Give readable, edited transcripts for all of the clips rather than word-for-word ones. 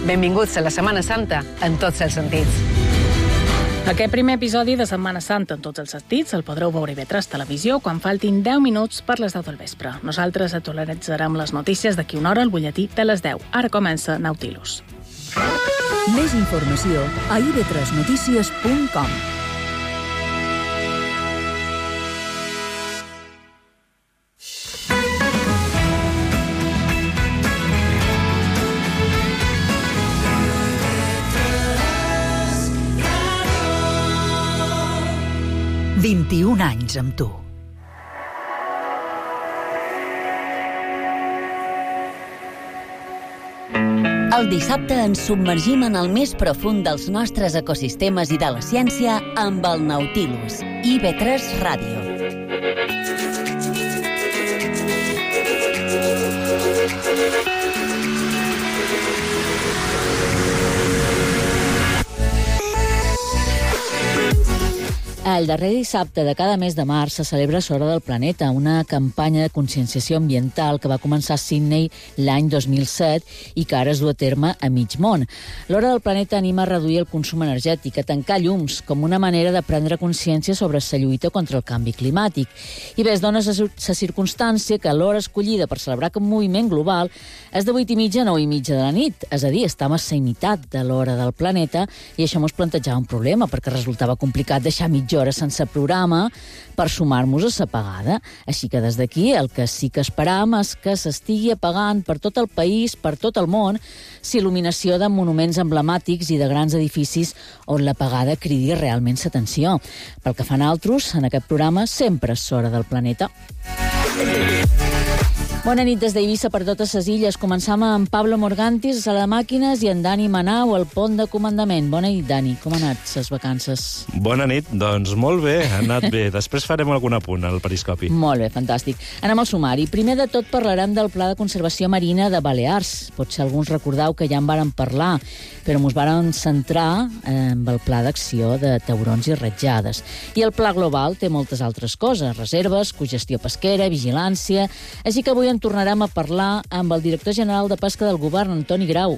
Benvinguts a la Setmana Santa en tots els sentits. Aquest primer episodi de Setmana Santa en tots els sentits el podreu veure IB3 Televisió quan faltin 10 minuts per les 10 del vespre. Nosaltres actualitzarem les notícies d'aquí una hora al butlletí de les 10. Ara comença Nautilus. Més informació a ib3notícies.com. «21 anys amb tu». El dissabte ens submergim en el més profund dels nostres ecosistemes i de la ciència amb el Nautilus, IB3 Ràdio. El darrer dissabte de cada mes de març se celebra l'Hora del Planeta, una campanya de conscienciació ambiental que va començar a Sydney l'any 2007 i que ara es du a terme a mig món. L'Hora del Planeta anima a reduir el consum energètic, a tancar llums, com una manera de prendre consciència sobre la lluita contra el canvi climàtic. I bé, es dona la circumstància que l'hora escollida per celebrar aquest moviment global és de 8:30 a 9:30 de la nit, és a dir, estem a la meitat de l'Hora del Planeta i això ens plantejava un problema perquè resultava complicat deixar mitja hora sense programa per sumar-nos a l'apagada. Així que des d'aquí el que sí que esperam és que s'estigui apagant per tot el país, per tot el món, il·luminació de monuments emblemàtics i de grans edificis on l'apagada cridi realment l'atenció. Pel que fan altres, en aquest programa sempre és l'Hora del Planeta. Bona nit des d'Eivissa per totes les illes. Començam amb Pablo Morgantis, a sala de màquines, i en Dani Manau, al pont de comandament. Bona nit, Dani. Com han anat les vacances? Bona nit. Doncs molt bé, ha anat bé. Després farem algun apunt al periscopi. Molt bé, fantàstic. Anem al sumari. Primer de tot parlarem del Pla de Conservació Marina de Balears. Potser alguns recordeu que ja en vàrem parlar, però ens vàrem centrar en el Pla d'Acció de taurons i ratjades. I el Pla Global té moltes altres coses, reserves, cogestió pesquera, vigilància. Així que avui en tornarem a parlar amb el director general de Pesca del Govern, Antoni Grau.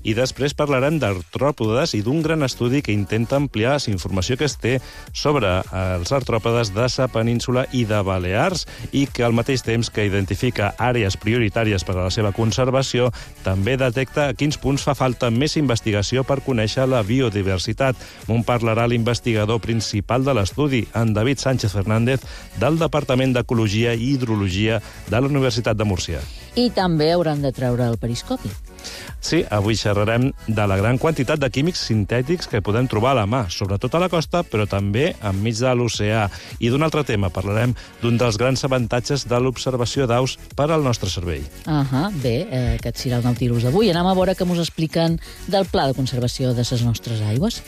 I després parlarem d'artròpodes i d'un gran estudi que intenta ampliar la informació que es té sobre els artròpodes de la península i de Balears i que al mateix temps que identifica àrees prioritàries per a la seva conservació, també detecta a quins punts fa falta més investigació per conèixer la biodiversitat. M'ho parlarà l'investigador principal de l'estudi, en David Sánchez Fernández, del Departament d'Ecologia i Hidrologia de la Universitat de Múrcia. I també hauran de treure el periscopi. Sí, avui xerrarem de la gran quantitat de químics sintètics que podem trobar a la mà, sobretot a la costa, però també enmig de l'oceà. I d'un altre tema, parlarem d'un dels grans avantatges de l'observació d'aus per al nostre cervell. Bé, aquest serà el Nautilus d'avui. Anem a veure què ens expliquen del Pla de Conservació de les nostres aigües.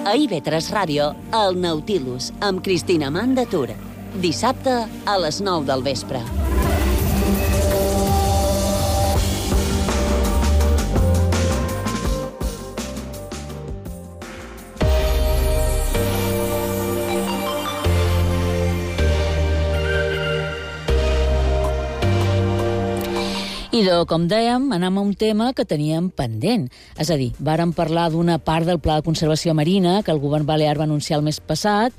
A IB3 Ràdio, el Nautilus, amb Cristina Mandatura. Dissabte a les 9 del vespre. Com dèiem, anem a un tema que teníem pendent. És a dir, vàrem parlar d'una part del Pla de Conservació Marina que el govern balear va anunciar el mes passat,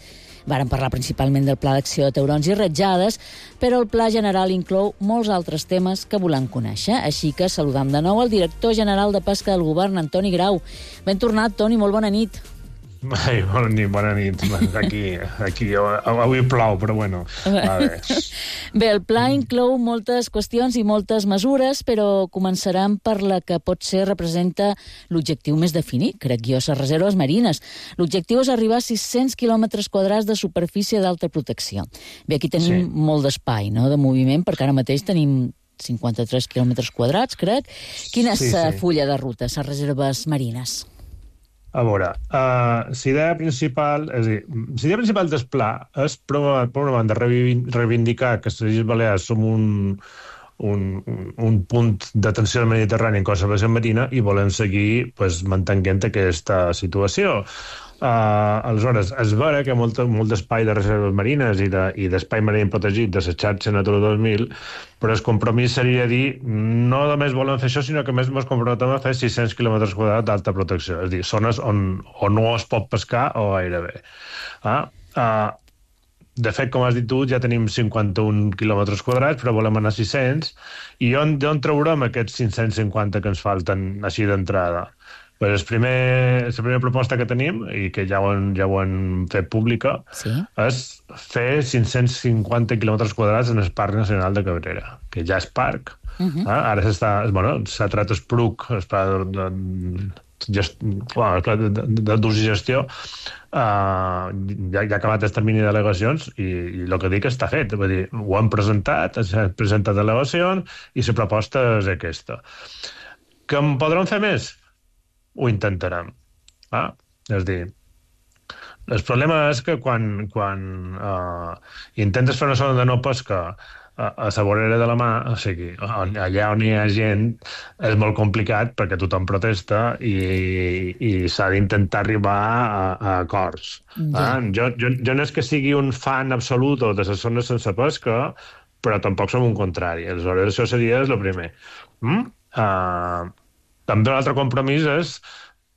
vàrem parlar principalment del Pla d'Acció de taurons i ratjades, però el Pla General inclou molts altres temes que volem conèixer. Així que saludam de nou el director general de Pesca del Govern, Antoni Grau. Ben tornat, Toni, molt bona nit. Ai, bona nit. Aquí avui plou, però bueno. Bé, el pla inclou moltes qüestions i moltes mesures, però començarem per la que potser representa l'objectiu més definit, crec jo, les reserves marines. L'objectiu és arribar a 600 quilòmetres quadrats de superfície d'alta protecció. Bé, aquí tenim molt d'espai, no?, de moviment, perquè ara mateix tenim 53 quilòmetres quadrats, crec. Quina és la fulla de ruta, les reserves marines? A veure, la idea principal del pla és, per una banda, reivindicar que les Illes Balears som un punt d'atenció al Mediterrani en conservació marina i volem seguir mantenint aquesta situació. Aleshores, és vera que molt d'espai de reserves marines i d'espai marí protegit de la xarxa Natura 2000, però el compromís seria dir no només volem fer això, sinó que més ens comprometem a fer 600 quilòmetres quadrats d'alta protecció, és a dir, zones on no es pot pescar o gairebé. De fet, com has dit tu, ja tenim 51 quilòmetres quadrats, però volem anar a 600, i on traurem aquests 550 que ens falten així d'entrada? Pues la primera proposta que tenim, i que ja ho hem fet pública, és fer 550 quilòmetres quadrats en el Parc Nacional de Cabrera, que ja és parc. Ara s'ha tret el PRUC, el Pla d'Ús i Gestió, ja ha acabat el termini de delegacions i el que dic està fet. Vull dir, ho hem presentat, s'han presentat delegacions i la proposta és aquesta. Que en podrem fer més? Ho intentarem. És a dir, el problema és que quan intentes fer una zona de no pesca a la vorera de la mà, o sigui, allà on hi ha gent, és molt complicat perquè tothom protesta i s'ha d'intentar arribar a acords. Jo no és que sigui un fan absolut de les zones sense pesca, però tampoc som un contrari. Aleshores, això seria el primer. També un altre compromís és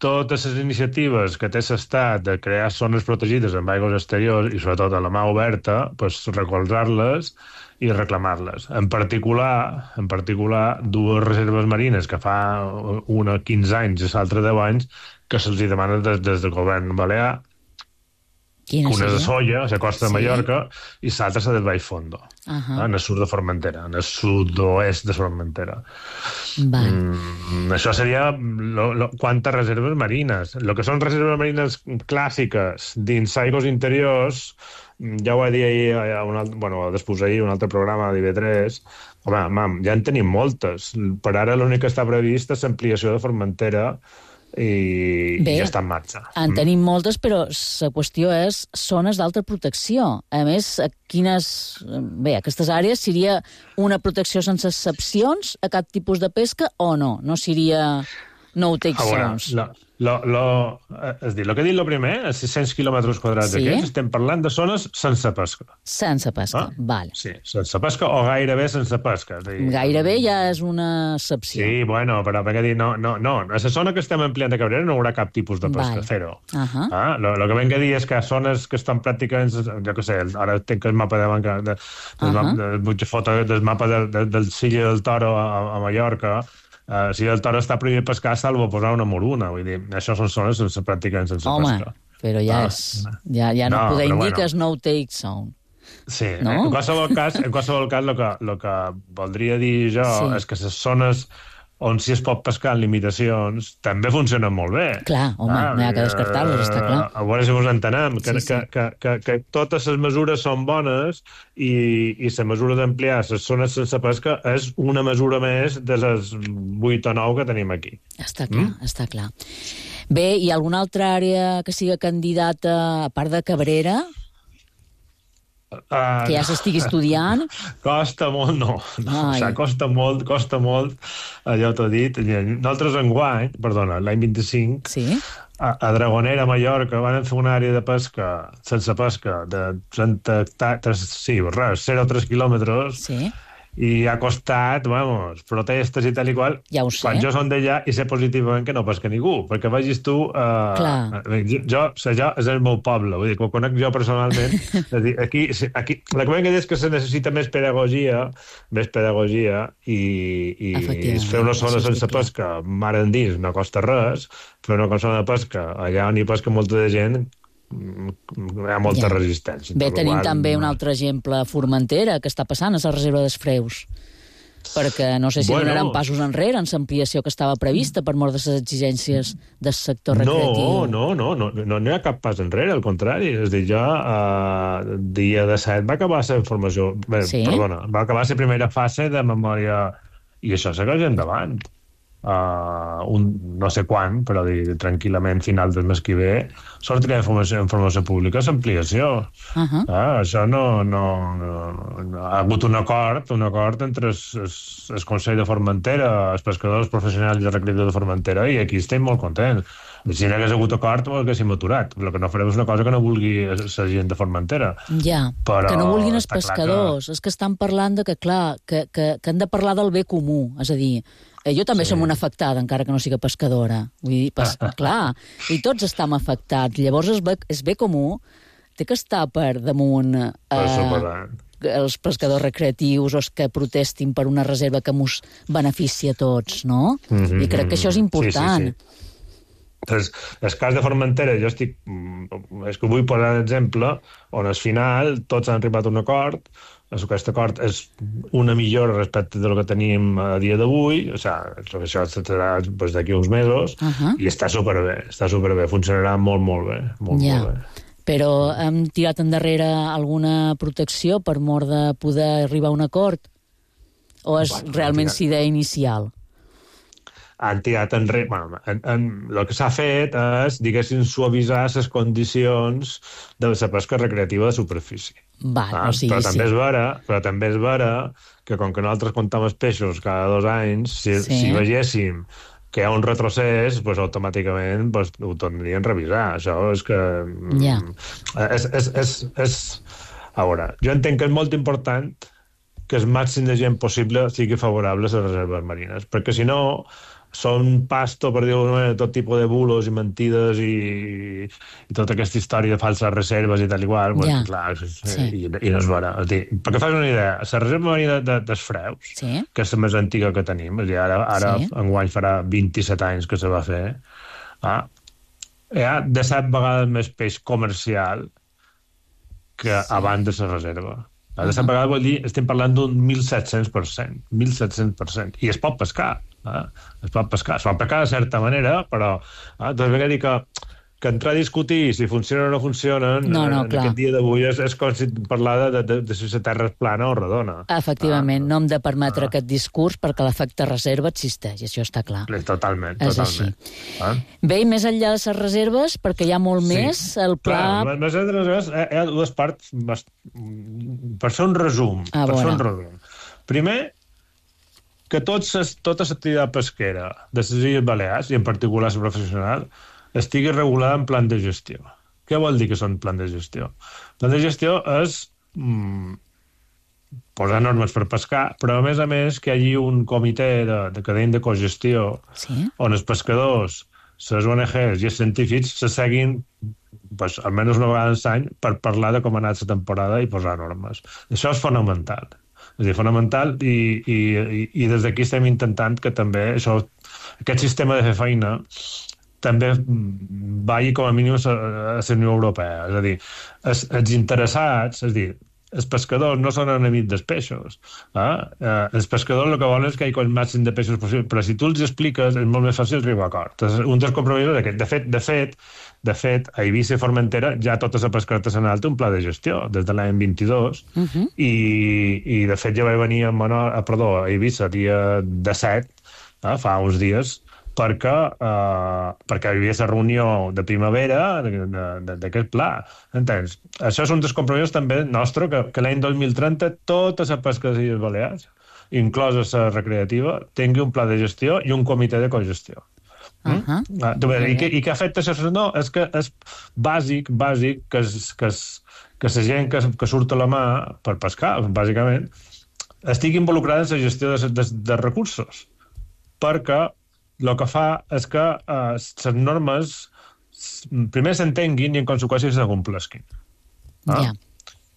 totes les iniciatives que té l'Estat de crear zones protegides en aigües exteriors i sobretot a la mà oberta, recolzar-les i reclamar-les. En particular, dues reserves marines que fa una 15 anys i l'altra 10 anys que se'ls demana des del govern balear. Una és de Solla, a la costa de Mallorca, i l'altra és del Baix Fondo, en el sud de Formentera, en el sud-oest de Formentera. Això seria quantes reserves marines. El que són reserves marines clàssiques dins aigües interiors, ja ho vaig dir ahir, després ahir, un altre programa d'IV3, ja en tenim moltes. Per ara l'únic que està previst és l'ampliació de Formentera i ja està en marxa. En tenim moltes, però la qüestió és zones d'alta protecció. A més, aquestes àrees seria una protecció sense excepcions a cap tipus de pesca o no? No seria no-take zones? És dir, el que he dit el primer, els 600 quilòmetres quadrats aquests, estem parlant de zones sense pesca. Sense pesca, val. Sí, sense pesca o gairebé sense pesca. Gairebé ja és una excepció. Sí, però perquè dir, no, a la zona que estem ampliant de Cabrera no hi haurà cap tipus de pesca, zero. El que venc a dir és que zones que estan pràcticament, jo què sé, ara tenc el mapa vull foto del mapa del Silla del Toro a Mallorca. Si el Toro està prohibit pescar, salvo posar una moruna. Vull dir, això són zones pràcticament sense pesca. Però ja no podem dir que és no-take zone. Sí, en qualsevol cas, el que voldria dir jo és que les zones on si es pot pescar amb limitacions també funcionen molt bé. Clar, no hi ha que descartar-los, està clar. A veure si us entenem, que totes les mesures són bones i la mesura d'ampliar les zones sense pesca és una mesura més de les 8 o 9 que tenim aquí. Està clar, està clar. Bé, hi ha alguna altra àrea que siga candidata, a part de Cabrera, que ja s'estigui estudiant? Costa molt, no. Costa molt, allò t'ho he dit. Nosaltres l'any 25, a Dragonera, Mallorca, van fer una àrea de pesca, sense pesca, de 0,3 quilòmetres, i ha costat, protestes i tal i qual, quan jo som d'allà i sé positivament que no pesca ningú, perquè vegis tu, jo és el meu poble, vull dir, que ho conec jo personalment, aquí, la que és que se necessita més pedagogia i fer una zona sense pesca, mar endins, no costa res, fer una zona de pesca allà on hi pesca molta de gent, hi ha molta resistència. Bé, tenim també un altre exemple a Formentera, que està passant a la reserva dels Freus, perquè no sé si donaran passos enrere en l'ampliació que estava prevista per mort de les exigències del sector recreatiu. No hi ha cap pas enrere, al contrari. És a dir, dia 17 va acabar la formació, va acabar la primera fase de memòria i això segueix endavant. no sé quan, però tranquil·lament final del mes que ve, sortirà informació pública, l'ampliació. Això no ha hagut un acord entre el Consell de Formentera, els pescadors professionals i els recreatius de Formentera, i aquí estem molt contents. Si no hagués hagut acord, ho haguéssim aturat. El que no farem és una cosa que no vulgui la gent de Formentera. Ja, però que no vulguin els pescadors. És que estan parlant de que, clar, que han de parlar del bé comú. És a dir, jo també som una afectada, encara que no siga pescadora. Vull dir, clar, i tots estem afectats. Llavors, el bé comú té que estar per damunt els pescadors recreatius o els que protestin per una reserva que ens beneficia a tots, no? I crec que això és important. Sí. El cas de Formentera, és que vull posar l'exemple on al final tots han arribat a un acord. Aquest acord és una millora respecte del que tenim a dia d'avui, això serà d'aquí uns mesos, i està superbé, funcionarà molt bé. Molt bé. Però hem tirat endarrere alguna protecció per mort de poder arribar a un acord? O és realment la idea inicial? Han tirat enrere... El que s'ha fet és, diguéssim, suavitzar les condicions de la pesca recreativa de superfície. Però també és vera que, com que nosaltres comptem els peixos cada 2 anys, si veiéssim que hi ha un retrocés, automàticament ho tornaríem a revisar. Això és que... A veure, jo entenc que és molt important que el màxim de gent possible sigui favorable a les reserves marines, perquè si no són pasto, per dir-ho d'alguna manera, tot tipus de bulos i mentides i tota aquesta història de falses reserves i tal igual, clar, i no és vera. Perquè fas una idea, la reserva marina dels Freus, que és la més antiga que tenim, ara enguany farà 27 anys que se va fer, hi ha de 7 vegades més peix comercial que abans de la reserva. De 7 vegades vol dir, estem parlant d'un 1.700%, i es pot pescar. Es pot pescar de certa manera, però doncs ve a dir que entrar a discutir si funcionen o no funcionen en aquest dia d'avui és com si parlar de si la Terra és plana o redona. Efectivament, no hem de permetre aquest discurs perquè l'efecte reserva existeix, això està clar. Totalment. És així. Bé, i més enllà de les reserves, perquè hi ha molt més, el pla... Més enllà de les reserves, hi ha 2 parts, per fer un resum. Primer, que tota l'activitat pesquera de les Illes Balears, i en particular la professional, estigui regulada en plan de gestió. Què vol dir que són plan de gestió? Plan de gestió és posar normes per pescar, però a més que hi hagi un comitè de cadena de cogestió on els pescadors, les ONGs i els científics se seguin almenys una vegada l'any per parlar de com ha anat la temporada i posar normes. Això és fonamental. És fonamental i des d'aquí estem intentant que també aquest sistema de fer feina també vagi com a mínim a la Unió Europea. És a dir, els interessats, els pescadors no són enemics dels peixos. Els pescadors el que volen és que hi hagi el màxim de peixos possible, però si tu els expliques és molt més fàcil arribar a acord. Un dels compromisos és aquest. De fet, a Eivissa i Formentera ja tota la pesca artesanal té un pla de gestió des de l'any 22 i de fet ja vaig venir a Eivissa dia 17, fa uns dies, perquè hi havia la reunió de primavera d'aquest pla. Entens? Això és un dels compromisos també nostre, que l'any 2030 tota la pesca de les Illes Balears, inclosa la recreativa, tingui un pla de gestió i un comitè de cogestió. I què afecta això? No, és que és bàsic que la gent que surt a la mà per pescar, bàsicament, estigui involucrada en la gestió de recursos, perquè el que fa és que les normes primer s'entenguin i en conseqüència s'acomplesquin.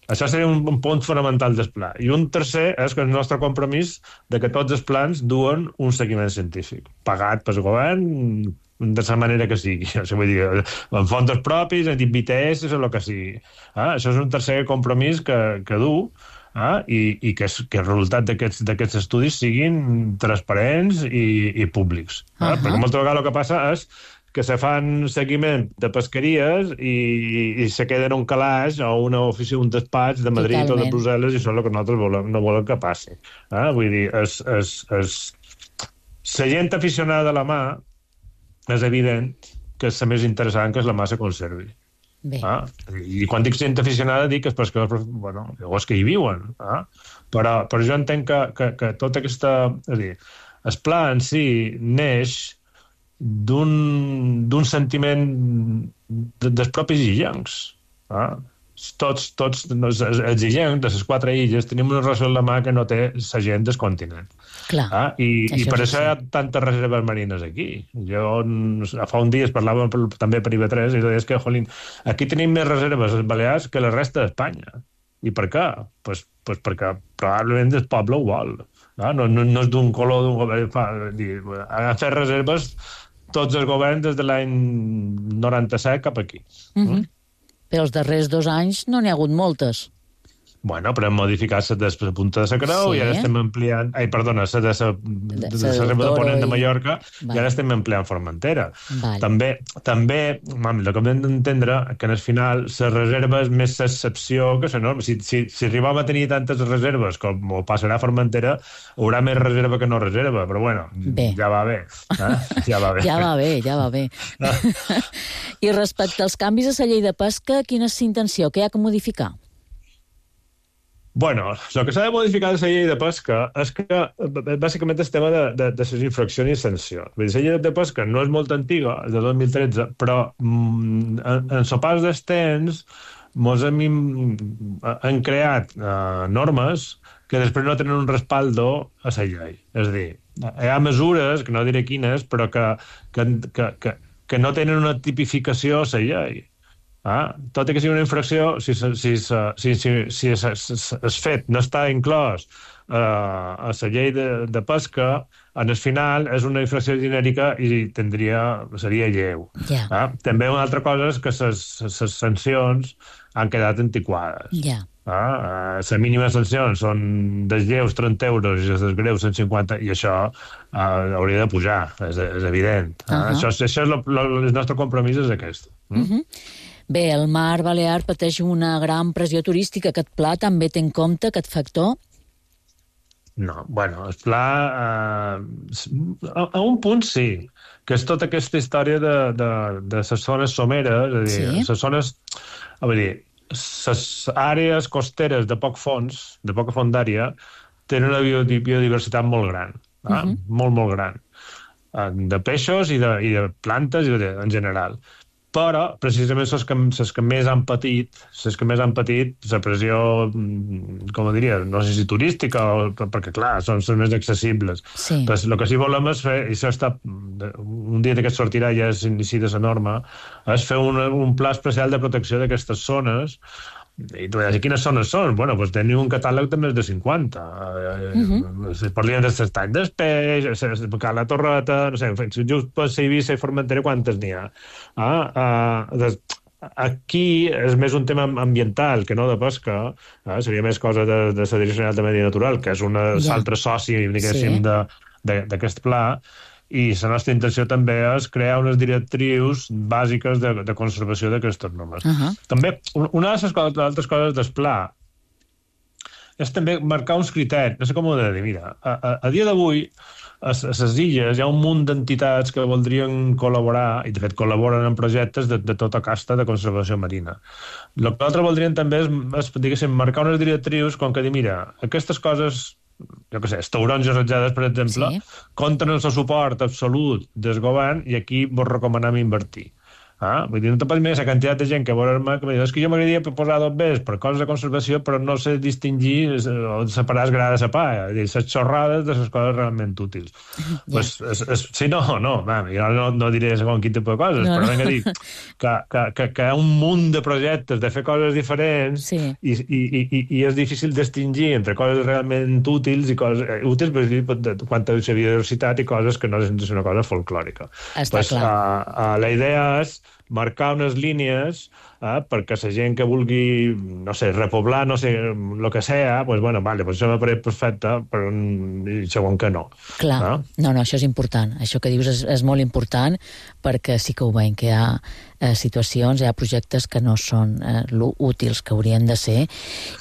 Això seria un punt fonamental del pla. I un tercer és que el nostre compromís de que tots els plans duen un seguiment científic, pagat pel govern de la manera que sigui. Vull dir, en fons propis, en BTS, o el que sigui. Això és un tercer compromís que du i que el resultat d'aquests estudis siguin transparents i públics. Perquè moltes vegades el que passa és que se fan seguiment de pesqueries i se queda en un calaix o una oficina, un despatx de Madrid o de Brussel·les, i això és el que nosaltres no volem que passi. Vull dir, La gent aficionada a la mà és evident que és la més interessant que la mà se conservi. Bé. I quan dic gent aficionada dic que és perquè, bueno, llavors que hi viuen. Però jo entenc que tota aquesta... És a dir, el pla en si neix d'un sentiment dels propis illencs. Tots els illencs de les 4 illes tenim una relació amb la mà que no té la gent del continent. Clar, I per això hi ha tantes reserves marines aquí. Jo fa un dia es parlava també per IB3 i deies que, jolín, aquí tenim més reserves als Balears que la resta d'Espanya. I per què? Pues perquè probablement el poble ho vol. No és d'un color d'un govern. Han fet reserves tots els governs des de l'any 97 cap aquí. Però els darrers 2 anys no n'hi ha hagut moltes. Bueno, però hem modificat la de Punta de la Creu i ara estem ampliant... Perdona, la de reserva de Ponent de Mallorca i ara estem ampliant Formentera. També, el que hem d'entendre que en el final la reserva és més l'excepció que la norma. Si arribem a tenir tantes reserves com ho passarà a Formentera, haurà més reserva que no reserva, però bueno, ja va bé. Ja va bé. I respecte als canvis a la llei de pesca, quina és la intenció? Què hi ha que modificar? Bueno, el que s'ha de modificar de la llei de pesca és que, bàsicament, el tema de les infraccions i sancions. La llei de pesca no és molt antiga, és de 2013, però en el pas dels temps ens han creat normes que després no tenen un respaldo a la llei. És a dir, hi ha mesures, que no diré quines, però que no tenen una tipificació a la llei. Tot i que sigui una infracció, si el fet no està inclòs a la llei de pesca, en el final és una infracció genèrica i seria lleu. També una altra cosa és que les sancions han quedat antiquades. Les mínimes sancions són dels lleus 30 euros i les greus 150, i això hauria de pujar, és evident. Això és el nostre compromís, és aquest. Bé, el mar Balear pateix una gran pressió turística. Aquest pla també té en compte aquest factor? No, bueno, el pla... A un punt sí, que és tota aquesta història de les zones someres, és a dir, les zones... les àrees costeres de poc fons, de poca fondària, tenen una biodiversitat molt gran, molt gran, de peixos i de plantes en general. Però, precisament, les que més han patit la pressió, com diria, no sé si turística, perquè, clar, són les més accessibles. Però el que sí volem és fer, i això està, un dia que sortirà ja s'inicia la norma, és fer un pla especial de protecció d'aquestes zones. I tu diràs, quines zones són? Bueno, doncs teniu un catàleg de més de 50. Parlem de l'estany del peix, la Torreta, no sé, just per Eivissa i Formentera, quantes n'hi ha? Aquí és més un tema ambiental que no de pesca, seria més cosa de la Direcció General de Medi Natural, que és un altre soci, diguéssim, d'aquest pla. I la nostra intenció també és crear unes directrius bàsiques de conservació d'aquestes normes. També, una de les altres coses del pla és també marcar uns criteris, no sé com ho he de dir, mira, a dia d'avui a les illes hi ha un munt d'entitats que voldrien col·laborar, i de fet col·laboren en projectes de tota casta de conservació marina. El que nosaltres voldríem també és diguéssim, marcar unes directrius com que dir, mira, aquestes coses, jo què sé, els taurons i ratjades, per exemple, compten amb el suport absolut del govern i aquí vos recomanem invertir. Vull dir, no te pots mirar la quantitat de gent que veurà que és que jo m'agradaria posar 2 bes per coses de conservació, però no sé distingir o separar el gra de la pa, les xorrades de les coses realment útils. Sí, no, jo no diré segons quin tipus de coses, però vinc a dir que hi ha un munt de projectes de fer coses diferents i és difícil distingir entre coses realment útils i coses útils quant a la biodiversitat i coses que no és una cosa folclòrica. La idea és marcar unes línies perquè la gent que vulgui, no sé, repoblar, no sé, el que sea, pues bueno, vale, pues això m'apareix perfecte, però segon que no. Clar, no, això és important. Això que dius és molt important, perquè sí que ho veiem, que hi ha situacions, hi ha projectes que no són útils que haurien de ser.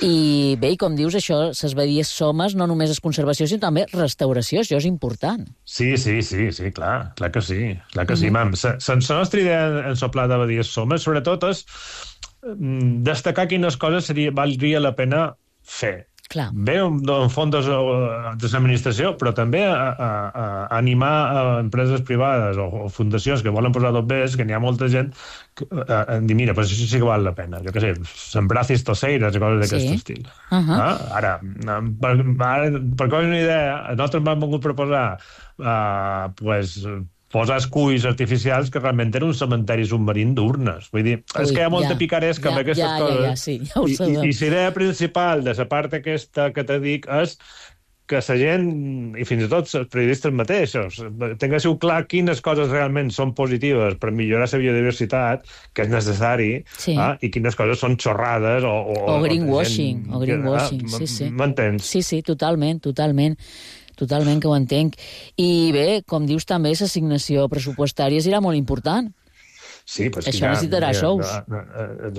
I bé, i com dius, això, les badies somes, no només és conservació, sinó també restauració, això és important. Sí, clar que sí. Clar que sí, mam. La nostra idea en soplar de badies somes, sobretot, és destacar quines coses valdria la pena fer. Clar. Bé, en fons de l'administració, però també a animar empreses privades o fundacions que volen posar tot bé, que n'hi ha molta gent que dir, mira, pues això sí que val la pena. Jo què sé, sembrar cistoceires i coses d'aquest estil. Ara, per cosa una idea, nosaltres m'han volgut proposar posar esculls artificials que realment eren un cementeri submarín d'urnes. Vull dir, és que hi ha molta picaresca amb aquestes coses. Ja ho sabem. I la idea principal de la part aquesta que te dic és que la gent, i fins i tot els periodistes mateixos, tinguéssiu clar quines coses realment són positives per millorar la biodiversitat, que és necessari, i quines coses són xorrades o greenwashing. Sí. M'entens? Sí, totalment. Totalment que ho entenc. I bé, com dius també, l'assignació pressupostària serà molt important. Sí, pues això necessitarà sous.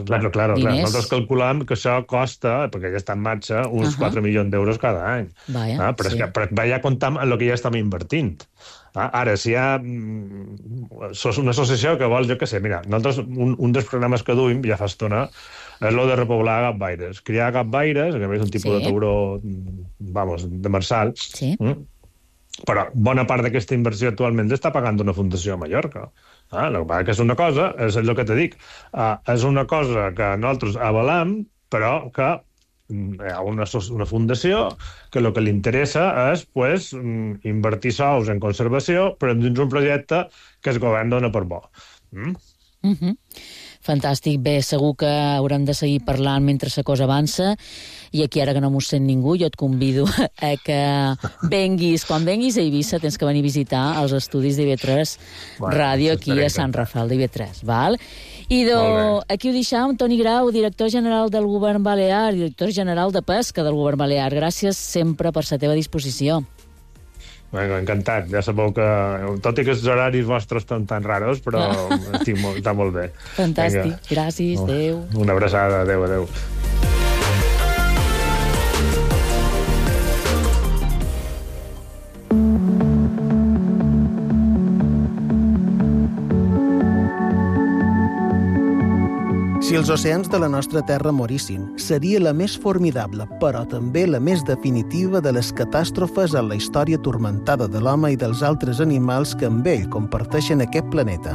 Claro. Nosaltres calculam que això costa, perquè ja està en marxa, uns 4 milions d'euros cada any. Però ja comptam en el que ja estem invertint. Ara, si hi ha una associació que vol, jo què sé, mira, nosaltres un dels programes que duim ja fa estona és el de repoblar gatbaires. Criar gatbaires, que és un tipus de tauró, de marsal, però bona part d'aquesta inversió actualment està pagant una fundació a Mallorca. El que passa que és una cosa, és el que te dic, és una cosa que nosaltres avalam, però que hi ha una fundació que el que li interessa és invertir sous en conservació, però dins un projecte que el govern dona per bo. Fantàstic. Bé, segur que haurem de seguir parlant mentre la cosa avança, i aquí ara que no m'ho sent ningú, jo et convido a que venguis. Quan venguis a Eivissa tens que venir a visitar els estudis d'IV3 Ràdio aquí a Sant Rafel d'IV3, val? I aquí ho deixam, Toni Grau, director general del Govern Balear, director general de Pesca del Govern Balear. Gràcies sempre per la teva disposició. Encantat. Ja sabeu que, tot i que els horaris vostres estan tan raros, però està molt bé. Fantàstic. Gràcies. Adéu. Una abraçada. Adéu. Si els oceans de la nostra terra morissin, seria la més formidable, però també la més definitiva de les catàstrofes en la història turmentada de l'home i dels altres animals que amb ell comparteixen aquest planeta.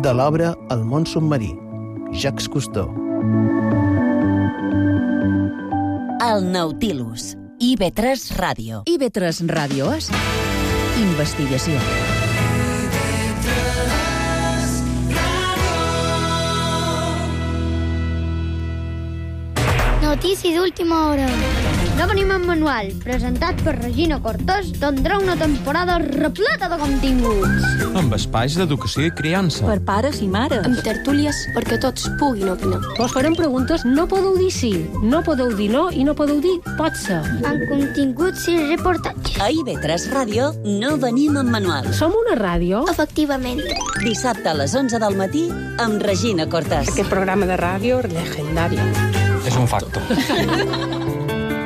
De l'obra El món submarí, Jacques Cousteau. El Nautilus, IB3 Ràdio. IB3 Ràdio és investigació. Notícies d'última hora. No venim en manual, presentat per Regina Cortés, tindrà una temporada repleta de continguts. Amb espais d'educació i criança. Per pares i mares. Amb tertúlies perquè tots puguin opinar. Vos farem preguntes, no podeu dir sí, no podeu dir no i no podeu dir pot ser. Amb continguts i reportatges. A IB3 Ràdio no venim en manual. Som una ràdio? Efectivament. Dissabte a les 11 del matí amb Regina Cortés. Aquest programa de ràdio legendari. És un facto.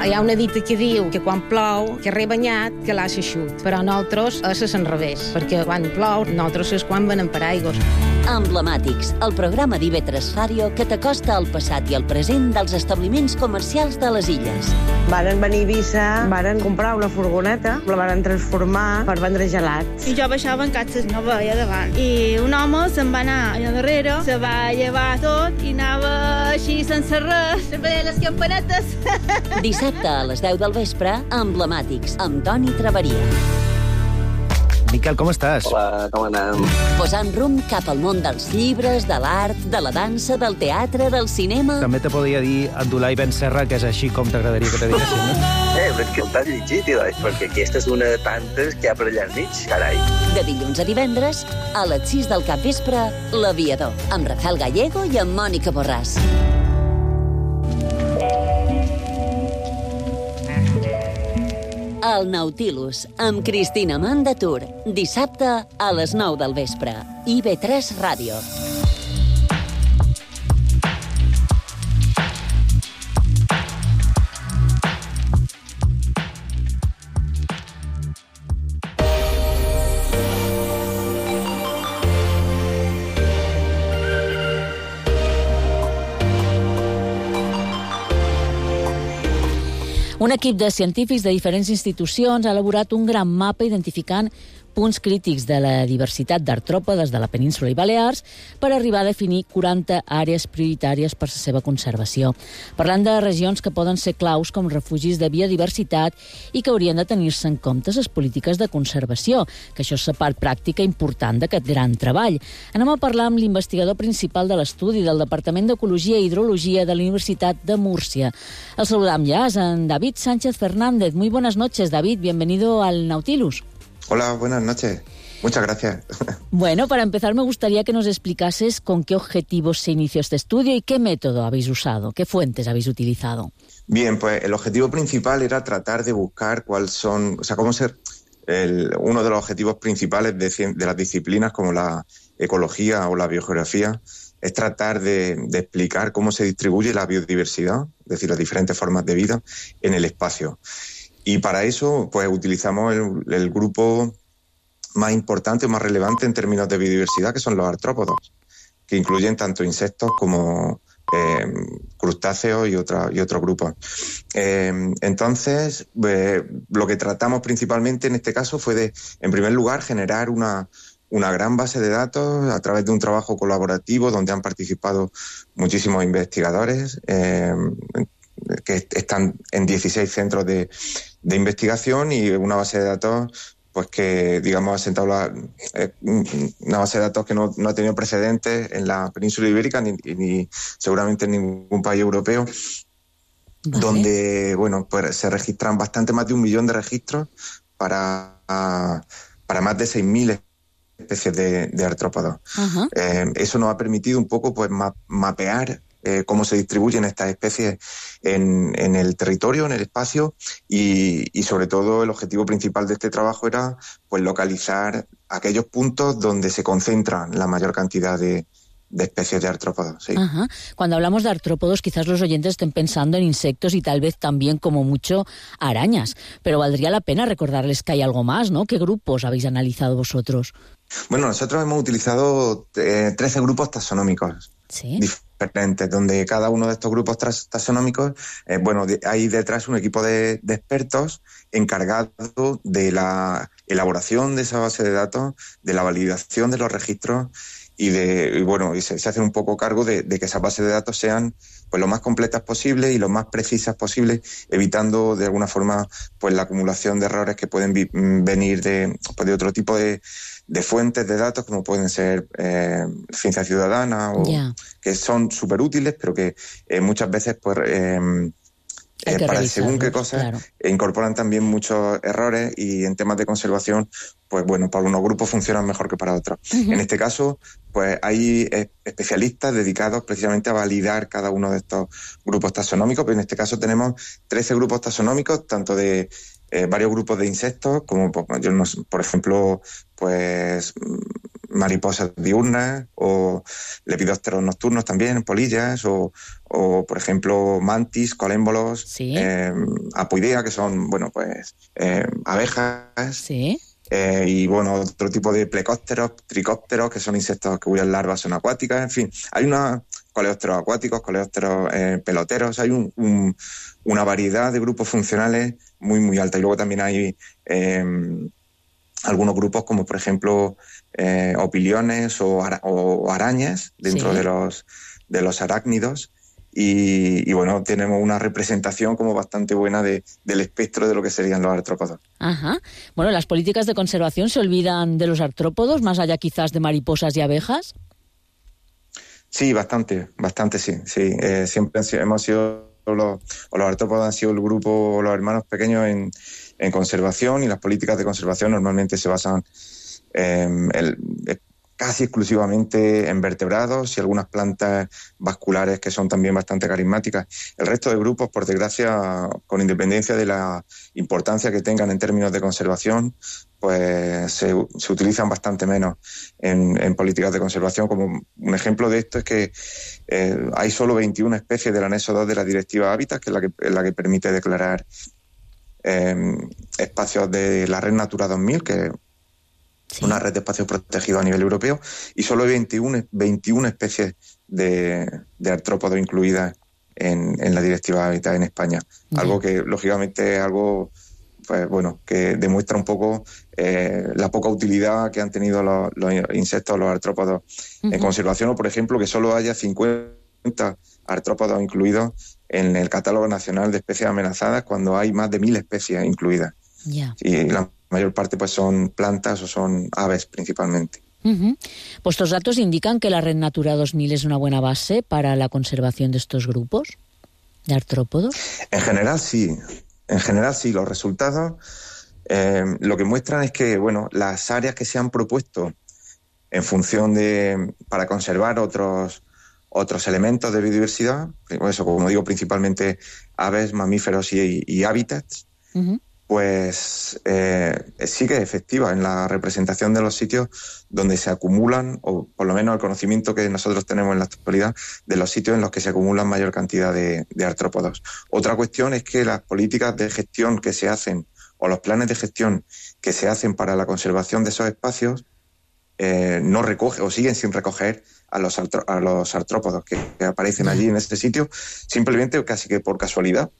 Hi ha una dita que diu que quan plou, que rebanyat, que l'ha eixut. Però nosaltres és l'enrevés, perquè quan plou, nosaltres és quan venem per aigües. Emblemàtics, el programa d'IV3 Ràdio que t'acosta al passat i al present dels establiments comercials de les illes. Varen venir a Eivissa, varen comprar una furgoneta, la varen transformar per vendre gelats. I jo baixava en catxes, no veia davant. I un home se'n va anar allà darrere, se va llevar tot i anava així sense res, veia les campanetes. Dissabte a les 10 del vespre, Emblemàtics, amb Toni Traveria. Miquel, com estàs? Hola, com anem? Posant rumb cap al món dels llibres, de l'art, de la dansa, del teatre, del cinema... També te podria dir Abdulai Ben Serra, que és així com t'agradaria que te diguessin, no? Veig que el t'has llegit, perquè aquesta és una de tantes que hi ha per allà al mig, carai. De dilluns a divendres, a les 6 del capvespre, L'Aviador, amb Rafael Gallego i amb Mònica Borràs. El Nautilus, amb Cristina Mandatur, dissabte a les 9 del vespre. IB3 Ràdio. Un equip de científics de diferents institucions ha elaborat un gran mapa identificant punts crítics de la diversitat d'artròpodes de la península i Balears per arribar a definir 40 àrees prioritàries per la seva conservació. Parlant de regions que poden ser claus com refugis de biodiversitat i que haurien de tenir-se en compte les polítiques de conservació, que això és la part pràctica important d'aquest gran treball. Anem a parlar amb l'investigador principal de l'estudi del Departament d'Ecologia i Hidrologia de la Universitat de Múrcia. El saludam ya, es en David Sánchez Fernández. Muy buenas noches, David. Bienvenido al Nautilus. Hola, buenas noches. Muchas gracias. Bueno, para empezar me gustaría que nos explicases con qué objetivos se inició este estudio y qué método habéis usado, qué fuentes habéis utilizado. Bien, pues el objetivo principal era tratar de buscar cuáles son, cómo ser uno de los objetivos principales de las disciplinas como la ecología o la biogeografía, es tratar de explicar cómo se distribuye la biodiversidad, es decir, las diferentes formas de vida en el espacio. Y para eso, pues utilizamos el grupo más importante o más relevante en términos de biodiversidad, que son los artrópodos, que incluyen tanto insectos como crustáceos y otros grupos. Entonces, lo que tratamos principalmente en este caso fue de, en primer lugar, generar una gran base de datos a través de un trabajo colaborativo donde han participado muchísimos investigadores que están en 16 centros de investigación y una base de datos pues que, digamos, ha sentado una base de datos que no ha tenido precedentes en la península ibérica ni seguramente en ningún país europeo, ¿vale? Donde, bueno, pues se registran bastante más de 1 millón de registros para más de 6.000 especies de artrópodos. Uh-huh. Eso nos ha permitido un poco pues mapear cómo se distribuyen estas especies en el territorio, en el espacio, y sobre todo el objetivo principal de este trabajo era pues localizar aquellos puntos donde se concentran la mayor cantidad de especies de artrópodos. Sí. Ajá. Cuando hablamos de artrópodos, quizás los oyentes estén pensando en insectos y tal vez también, como mucho, arañas. Pero valdría la pena recordarles que hay algo más, ¿no? ¿Qué grupos habéis analizado vosotros? Bueno, nosotros hemos utilizado 13 grupos taxonómicos. ¿Sí? Diferentes, donde cada uno de estos grupos taxonómicos, hay detrás un equipo de expertos encargado de la elaboración de esa base de datos, de la validación de los registros y se hacen un poco cargo de que esas bases de datos sean pues lo más completas posible y lo más precisas posible, evitando de alguna forma pues la acumulación de errores que pueden venir de otro tipo de fuentes de datos, como pueden ser ciencia ciudadana, o que son súper útiles, pero que muchas veces pues para según qué cosas, claro, incorporan también muchos errores, y en temas de conservación, pues bueno, para unos grupos funcionan mejor que para otros. Uh-huh. En este caso, pues hay especialistas dedicados precisamente a validar cada uno de estos grupos taxonómicos, pero en este caso tenemos 13 grupos taxonómicos, tanto de varios grupos de insectos, como por ejemplo, pues mariposas diurnas, o lepidópteros nocturnos también, polillas, o por ejemplo mantis, colémbolos, ¿sí? Apoidea, que son, abejas. ¿Sí? Y otro tipo de plecópteros, tricópteros, que son insectos cuyas larvas son acuáticas. En fin, hay coleópteros acuáticos, coleópteros peloteros, hay una variedad de grupos funcionales muy, muy alta. Y luego también hay algunos grupos como, por ejemplo, opiliones o arañas dentro, ¿sí?, de los arácnidos. Y tenemos una representación como bastante buena del espectro de lo que serían los artrópodos. Ajá. Bueno, ¿las políticas de conservación se olvidan de los artrópodos, más allá quizás de mariposas y abejas? Sí, bastante sí. Siempre hemos sido los artrópodos han sido el grupo, los hermanos pequeños en conservación, y las políticas de conservación normalmente se basan casi exclusivamente en vertebrados y algunas plantas vasculares que son también bastante carismáticas. El resto de grupos, por desgracia, con independencia de la importancia que tengan en términos de conservación, pues se utilizan bastante menos en políticas de conservación. Como un ejemplo de esto es que hay solo 21 especies del anexo 2 de la Directiva Hábitat, que es la que permite declarar espacios de la Red Natura 2000, que una red de espacios protegidos a nivel europeo, y solo hay 21 especies de artrópodos incluidas en la Directiva Hábitat en España. Algo que, lógicamente, es algo pues, bueno, que demuestra un poco la poca utilidad que han tenido los insectos, los artrópodos en conservación, o, por ejemplo, que solo haya 50 artrópodos incluidos en el Catálogo Nacional de Especies Amenazadas, cuando hay más de 1000 especies incluidas. Y la mayor parte pues son plantas o son aves principalmente. ¿Vuestros datos indican que la Red Natura 2000 es una buena base para la conservación de estos grupos de artrópodos? En general sí. Los resultados lo que muestran es que, bueno, las áreas que se han propuesto en función para conservar otros elementos de biodiversidad, eso, como digo, principalmente aves, mamíferos y hábitats, pues sí que es efectiva en la representación de los sitios donde se acumulan, o por lo menos el conocimiento que nosotros tenemos en la actualidad, de los sitios en los que se acumulan mayor cantidad de artrópodos. Otra cuestión es que las políticas de gestión que se hacen, o los planes de gestión que se hacen para la conservación de esos espacios, no recogen o siguen sin recoger a los artrópodos que aparecen allí en este sitio, simplemente casi que por casualidad.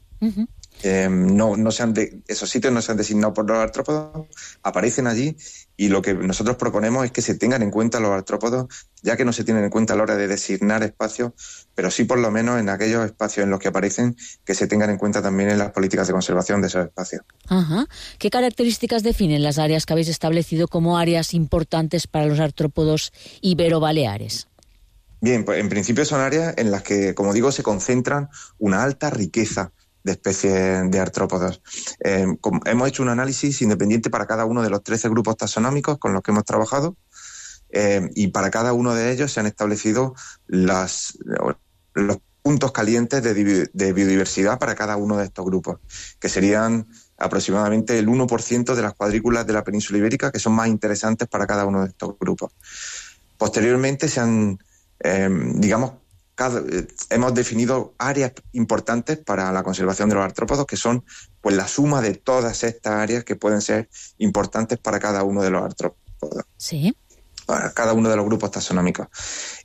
Esos sitios no se han designado por los artrópodos, aparecen allí, y lo que nosotros proponemos es que se tengan en cuenta los artrópodos, ya que no se tienen en cuenta a la hora de designar espacios, pero sí por lo menos en aquellos espacios en los que aparecen, que se tengan en cuenta también en las políticas de conservación de esos espacios. ¿Qué características definen las áreas que habéis establecido como áreas importantes para los artrópodos ibero-baleares? Bien, pues en principio son áreas en las que, como digo, se concentran una alta riqueza de especies de artrópodos. Hemos hecho un análisis independiente para cada uno de los 13 grupos taxonómicos con los que hemos trabajado, y para cada uno de ellos se han establecido los puntos calientes de biodiversidad para cada uno de estos grupos, que serían aproximadamente el 1% de las cuadrículas de la península ibérica, que son más interesantes para cada uno de estos grupos. Posteriormente hemos definido áreas importantes para la conservación de los artrópodos, que son pues la suma de todas estas áreas que pueden ser importantes para cada uno de los artrópodos. Sí. Para cada uno de los grupos taxonómicos.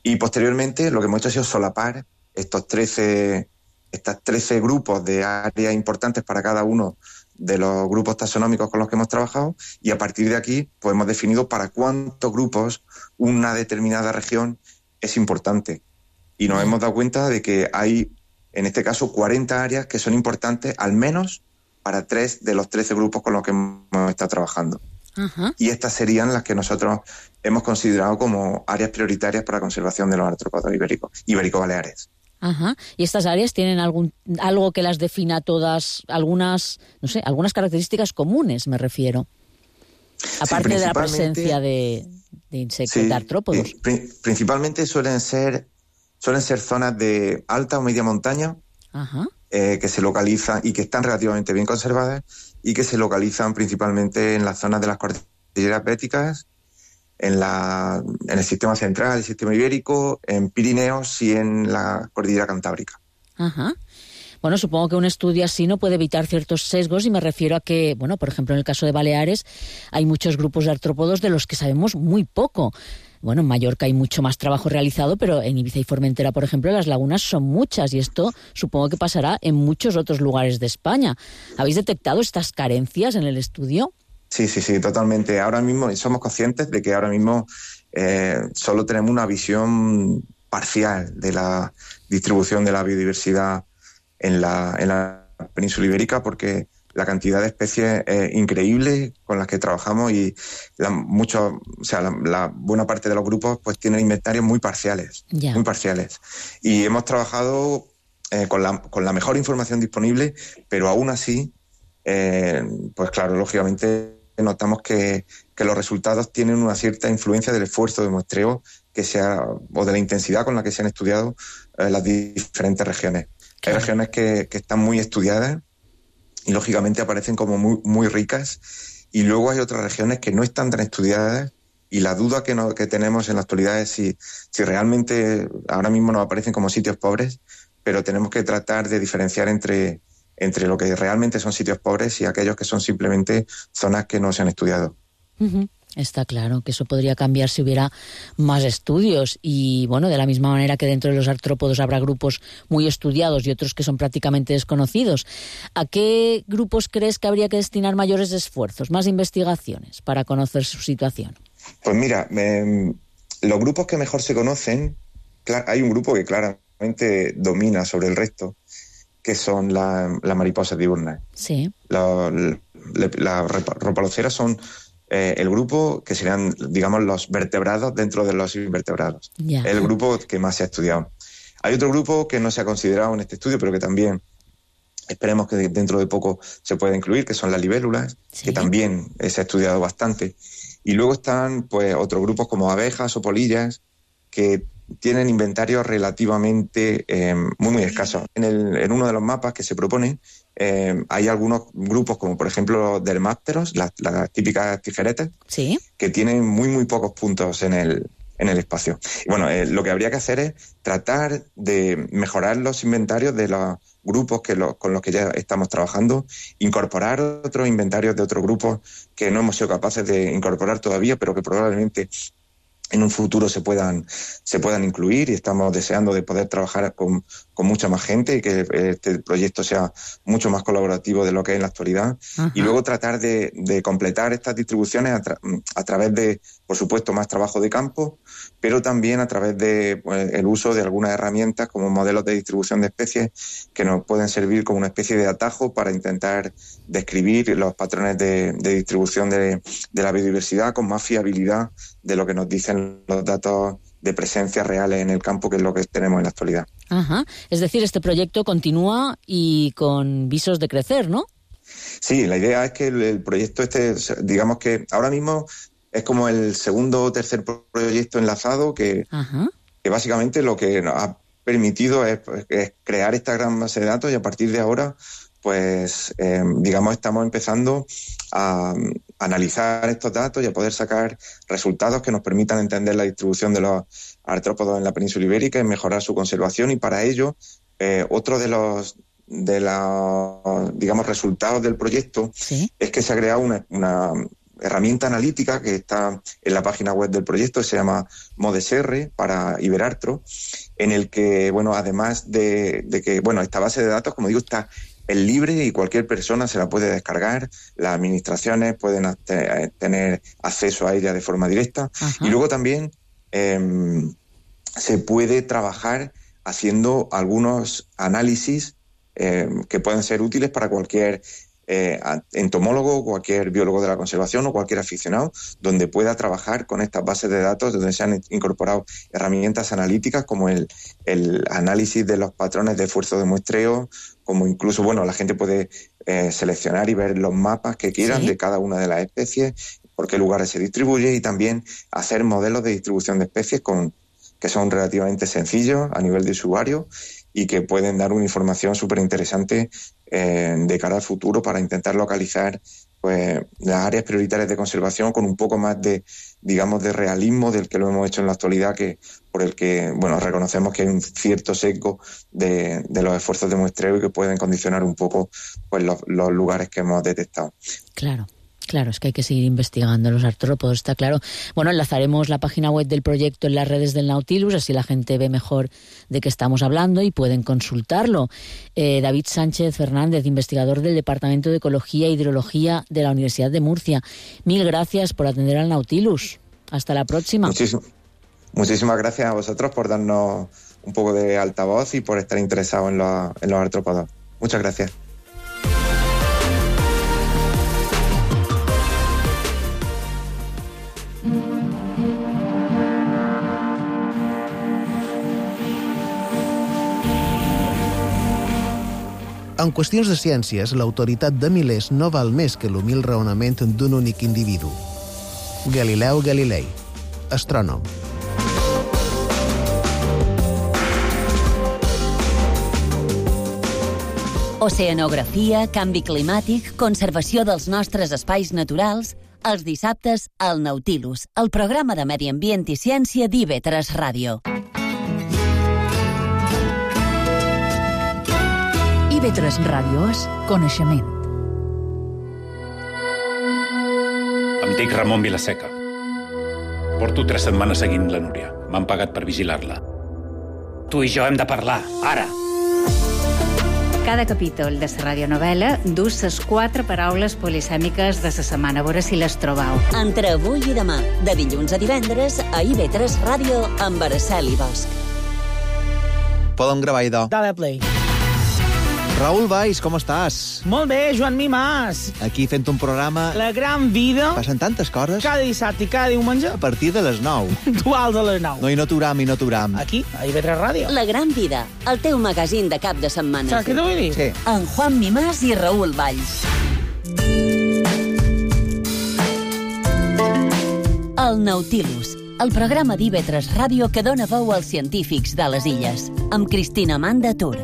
Y posteriormente lo que hemos hecho ha sido solapar estas 13 grupos de áreas importantes para cada uno de los grupos taxonómicos con los que hemos trabajado, y a partir de aquí pues hemos definido para cuántos grupos una determinada región es importante. Y nos hemos dado cuenta de que hay, en este caso, 40 áreas que son importantes, al menos para 3 de los 13 grupos con los que hemos estado trabajando. Y estas serían las que nosotros hemos considerado como áreas prioritarias para la conservación de los artrópodos ibérico-baleares. ¿Y estas áreas tienen algo que las defina todas, algunas características comunes, me refiero? Aparte de la presencia de insectos, de artrópodos. Principalmente suelen ser zonas de alta o media montaña, que se localizan y que están relativamente bien conservadas, y que se localizan principalmente en las zonas de las cordilleras béticas, en el sistema central, el sistema ibérico, en Pirineos y en la cordillera cantábrica. Bueno, supongo que un estudio así no puede evitar ciertos sesgos, y me refiero a que, bueno, por ejemplo, en el caso de Baleares hay muchos grupos de artrópodos de los que sabemos muy poco. Bueno, en Mallorca hay mucho más trabajo realizado, pero en Ibiza y Formentera, por ejemplo, las lagunas son muchas, y esto supongo que pasará en muchos otros lugares de España. ¿Habéis detectado estas carencias en el estudio? Sí, totalmente. Ahora mismo somos conscientes de que ahora mismo solo tenemos una visión parcial de la distribución de la biodiversidad en la península ibérica, porque la cantidad de especies increíble con las que trabajamos, y la buena parte de los grupos pues tienen inventarios muy parciales. Y hemos trabajado con la mejor información disponible, pero aún así, pues claro, lógicamente notamos que los resultados tienen una cierta influencia del esfuerzo de muestreo o de la intensidad con la que se han estudiado las diferentes regiones. Hay regiones que están muy estudiadas y lógicamente aparecen como muy, muy ricas, y luego hay otras regiones que no están tan estudiadas, y la duda que tenemos en la actualidad es si realmente ahora mismo nos aparecen como sitios pobres, pero tenemos que tratar de diferenciar entre lo que realmente son sitios pobres y aquellos que son simplemente zonas que no se han estudiado. Uh-huh. Está claro que eso podría cambiar si hubiera más estudios y, bueno, de la misma manera que dentro de los artrópodos habrá grupos muy estudiados y otros que son prácticamente desconocidos. ¿A qué grupos crees que habría que destinar mayores esfuerzos, más investigaciones para conocer su situación? Pues mira, los grupos que mejor se conocen, hay un grupo que claramente domina sobre el resto, que son las mariposas diurnas. Sí. Las ropaloceras son el grupo que serían, digamos, los vertebrados dentro de los invertebrados. Yeah. Es el grupo que más se ha estudiado. Hay otro grupo que no se ha considerado en este estudio, pero que también esperemos que dentro de poco se pueda incluir, que son las libélulas, que también se ha estudiado bastante. Y luego están pues otros grupos como abejas o polillas, que tienen inventarios relativamente muy, muy escasos. En uno de los mapas que se propone, hay algunos grupos, como por ejemplo dermápteros, las típicas tijeretes, que tienen muy, muy pocos puntos en el espacio. Y bueno, lo que habría que hacer es tratar de mejorar los inventarios de los grupos con los que ya estamos trabajando, incorporar otros inventarios de otros grupos que no hemos sido capaces de incorporar todavía, pero que probablemente en un futuro se puedan incluir, y estamos deseando de poder trabajar con mucha más gente y que este proyecto sea mucho más colaborativo de lo que es en la actualidad. Ajá. Y luego tratar de completar estas distribuciones a través de, por supuesto, más trabajo de campo, pero también a través de el uso de algunas herramientas como modelos de distribución de especies que nos pueden servir como una especie de atajo para intentar describir los patrones de distribución de la biodiversidad con más fiabilidad de lo que nos dicen los datos de presencia reales en el campo, que es lo que tenemos en la actualidad. Ajá. Es decir, este proyecto continúa y con visos de crecer, ¿no? Sí, la idea es que el proyecto digamos que ahora mismo es como el segundo o tercer proyecto enlazado que básicamente lo que nos ha permitido es crear esta gran base de datos, y a partir de ahora pues digamos estamos empezando a analizar estos datos y a poder sacar resultados que nos permitan entender la distribución de los artrópodos en la península ibérica y mejorar su conservación. Y para ello, otro de los digamos resultados del proyecto es que se ha creado una herramienta analítica que está en la página web del proyecto, que se llama ModesR para Iberartro, en el que, bueno, además de que, bueno, esta base de datos, como digo, es libre y cualquier persona se la puede descargar. Las administraciones pueden tener acceso a ella de forma directa. Ajá. Y luego también se puede trabajar haciendo algunos análisis que pueden ser útiles para cualquier entomólogo, cualquier biólogo de la conservación o cualquier aficionado, donde pueda trabajar con estas bases de datos, donde se han incorporado herramientas analíticas como el análisis de los patrones de esfuerzo de muestreo, como incluso, bueno, la gente puede seleccionar y ver los mapas que quieran de cada una de las especies, por qué lugares se distribuye, y también hacer modelos de distribución de especies que son relativamente sencillos a nivel de usuario y que pueden dar una información súper interesante de cara al futuro para intentar localizar pues las áreas prioritarias de conservación con un poco más de, digamos, de realismo del que lo hemos hecho en la actualidad, por el que, bueno, reconocemos que hay un cierto sesgo de los esfuerzos de muestreo y que pueden condicionar un poco pues los lugares que hemos detectado. Claro, es que hay que seguir investigando los artrópodos, está claro. Bueno, enlazaremos la página web del proyecto en las redes del Nautilus, así la gente ve mejor de qué estamos hablando y pueden consultarlo. David Sánchez Fernández, investigador del Departamento de Ecología e Hidrología de la Universidad de Murcia. Mil gracias por atender al Nautilus. Hasta la próxima. Muchísimas gracias a vosotros por darnos un poco de altavoz y por estar interesados en los artrópodos. Muchas gracias. En qüestions de ciències, l'autoritat de milers no val més que l'humil raonament d'un únic individu. Galileu Galilei, astrònom. Oceanografia, canvi climàtic, conservació dels nostres espais naturals, els dissabtes al Nautilus, el programa de Medi Ambient i Ciència d'IV3 Ràdio. IV3 Ràdio és coneixement. Em dic Ramon Vilaseca. Porto 3 setmanes seguint la Núria. M'han pagat per vigilar-la. Tu i jo hem de parlar, ara! Cada capítol de la radionovel·la dus les 4 paraules polisèmiques de la setmana. A veure si les trobau. Entre avui i demà, de dilluns a divendres, a IV3 Ràdio amb Araceli Bosch. Podem gravar, idò. Dale play. Raül Valls, com estàs? Molt bé, Joan Mimàs. Aquí fent un programa... La gran vida. Passen tantes coses. Cada dissabte i cada diumenge. A partir de les 9. Duals a les 9. No, i no t'uram. Aquí, a IV3 Ràdio. La gran vida, el teu magazín de cap de setmana. Saps què t'ho vull dir? Sí. En Juan Mimàs i Raül Valls. El Nautilus, el programa d'IV3 Ràdio que dona veu als científics de les illes, amb Cristina Amanda Tur.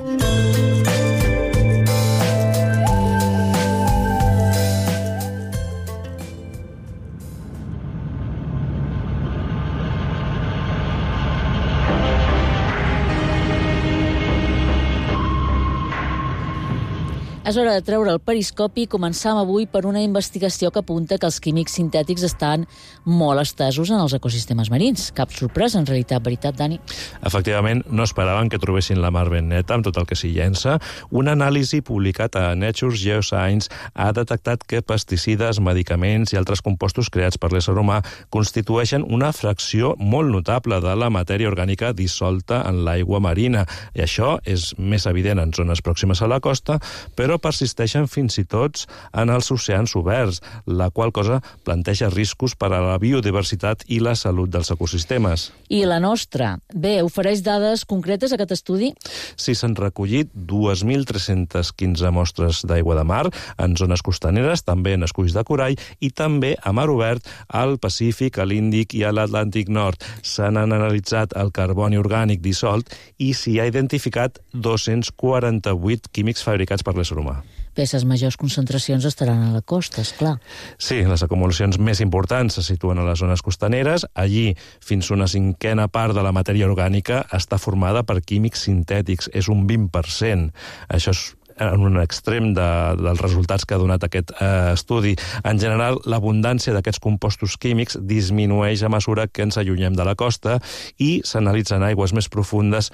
És hora de treure el periscopi i començam avui per una investigació que apunta que els químics sintètics estan molt estesos en els ecosistemes marins. Cap sorpresa, en realitat, veritat, Dani? Efectivament, no esperaven que trobessin la mar ben neta amb tot el que s'hi llença. Un anàlisi publicat a Nature Geoscience ha detectat que pesticides, medicaments i altres compostos creats per l'ésser humà constitueixen una fracció molt notable de la matèria orgànica dissolta en l'aigua marina. I això és més evident en zones pròximes a la costa, però persisteixen fins i tot en els oceans oberts, la qual cosa planteja riscos per a la biodiversitat i la salut dels ecosistemes. I la nostra? Bé, ofereix dades concretes aquest estudi? Sí, s'han recollit 2.315 mostres d'aigua de mar en zones costaneres, també en esculls de corall i també a mar obert al Pacífic, a l'Índic i a l'Atlàntic Nord. S'han analitzat el carboni orgànic dissolt i s'hi ha identificat 248 químics fabricats per l'ésser humà. Bé, les majors concentracions estaran a la costa, esclar. Sí, les acumulacions més importants se situen a les zones costaneres. Allí, fins a una 5a part de la matèria orgànica està formada per químics sintètics. És un 20%. Això és en un extrem dels resultats que ha donat aquest estudi. En general, l'abundància d'aquests compostos químics disminueix a mesura que ens allunyem de la costa i s'analitzen aigües més profundes.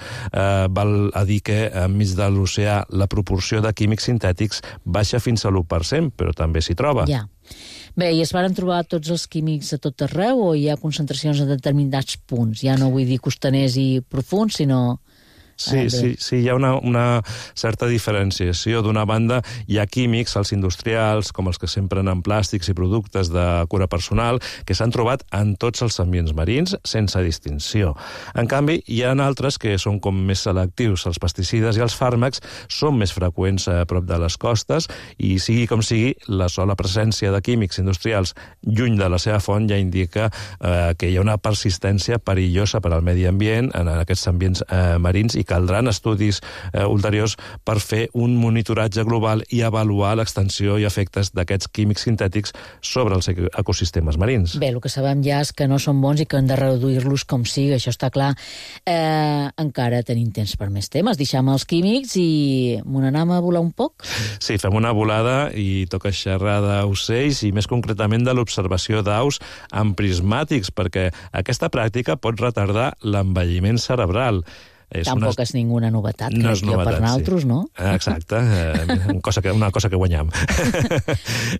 Val a dir que enmig de l'oceà la proporció de químics sintètics baixa fins a l'1%, però també s'hi troba. Ja. Bé, i es varen trobar tots els químics a tot arreu o hi ha concentracions en determinats punts? Ja no vull dir costaners i profuns, sinó... Sí, hi ha una certa diferenciació. D'una banda, hi ha químics, els industrials, com els que s'empren en plàstics i productes de cura personal, que s'han trobat en tots els ambients marins, sense distinció. En canvi, hi ha altres que són com més selectius. Els pesticides i els fàrmacs són més freqüents a prop de les costes i, sigui com sigui, la sola presència de químics industrials lluny de la seva font ja indica que hi ha una persistència perillosa per al medi ambient en aquests ambients marins i caldran estudis ulteriors per fer un monitoratge global i avaluar l'extensió i efectes d'aquests químics sintètics sobre els ecosistemes marins. Bé, el que sabem ja és que no són bons i que hem de reduir-los com sigui, això està clar. Encara tenim temps per més temes. Deixem els químics i m'ho anem a volar un poc? Sí, fem una volada i toca xerrar d'ocells i més concretament de l'observació d'aus amb prismàtics, perquè aquesta pràctica pot retardar l'envelliment cerebral. Tampoc és ninguna novetat, no és novetat, per nosaltres, sí. No? Exacte, una cosa que guanyam.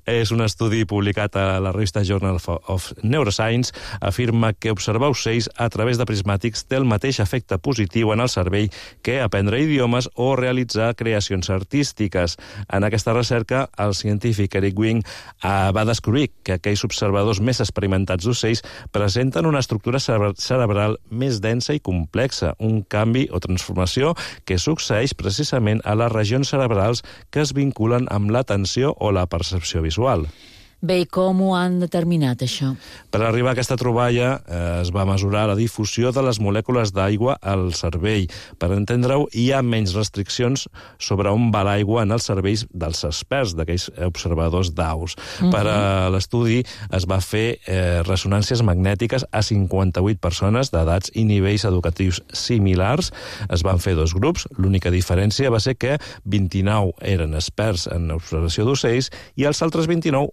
És un estudi publicat a la revista Journal of Neuroscience, afirma que observar ocells a través de prismàtics té el mateix efecte positiu en el cervell que aprendre idiomes o realitzar creacions artístiques. En aquesta recerca, el científic Eric Wing va descobrir que aquells observadors més experimentats d'ocells presenten una estructura cerebral més densa i complexa, un canvi canvi o transformació que succeeix precisament a les regions cerebrals que es vinculen amb l'atenció o la percepció visual. Bé, i com ho han determinat, això? Per arribar a aquesta troballa es va mesurar la difusió de les molècules d'aigua al cervell. Per entendre-ho, hi ha menys restriccions sobre on va l'aigua en els cervells dels experts, d'aquells observadors d'aus. Per a l'estudi es va fer ressonàncies magnètiques a 58 persones d'edats i nivells educatius similars. Es van fer 2 grups. L'única diferència va ser que 29 eren experts en observació d'ocells i els altres 29